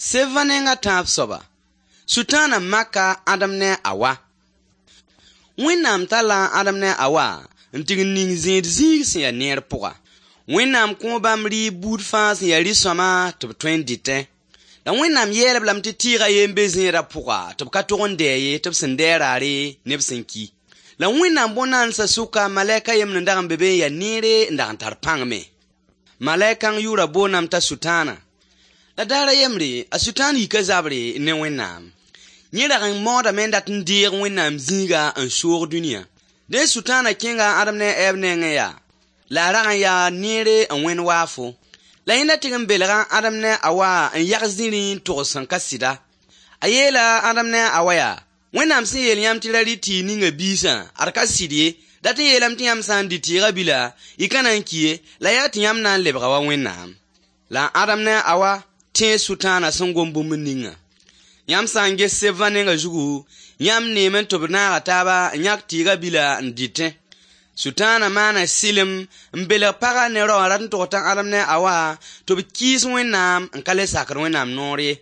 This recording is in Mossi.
Seva nenga tãab soaba, Sʋtãana maka Adem ne a Awa. Wẽnnaam talla Adem ne a Awa n tɩg n ning zẽed zĩig sẽn ya neer pʋga. Wẽnnaam kõo bãmb rɩɩb buud fãa sẽn ya rɩ-sõama tɩ b tõe n dɩtẽ. La Wẽnnaam yeel-b lame tɩ tɩɩga yen be zẽedã pʋga tɩ b ka tog n dɛ ye tɩ b sẽn dɛ raare ne b sẽn ki. La Wẽnnaam bõn-naandsã sʋka malɛk a yembr n dag n be be n ya neere n dag n tar pãng me. Malɛk kãng yʋʋra boondame t'a Sʋtãana. La daar a yembre, a Sʋtãan yika zabre ne Wẽnnaam. Yẽ rag n maoodame n dat n deeg Wẽnnaam zĩiga n soog dũniyã. Dẽ Sʋtãana kẽnga Adem ne a Ɛɛb nengẽ yaa, la a rag n yaa neere n wẽnd waafo. La yẽnda tɩg n belga Adem ne a Awa n yag zĩrĩ n togs sẽn ka sɩda. A yeela Adem ne a Awa yaa: Wẽnnaam sẽn yeel yãmb tɩ ra rɩ tɩɩg ninga biisã, ad ka sɩd ye, dat n yeelame tɩ yãmb sã n dɩ tɩɩga bila, y ka na n ki ye, la yaa tɩ yãmb na n lebga wa Wẽnnaam. La Adem ne a Awa tẽe Sʋtãana sẽn gom bũmb ninga. Yãmb sã n ges sebvã nenga zugu, yãmb neeme tɩ b naaga taaba n yãk tɩɩga bila n dɩtẽ. Sʋtãana maana sɩlem n belg pagã ne rao n rat n tog t'a Adem ne a Awa tɩ b kɩɩs Wẽnnaam n ka le sakd Wẽnnaam noor ye.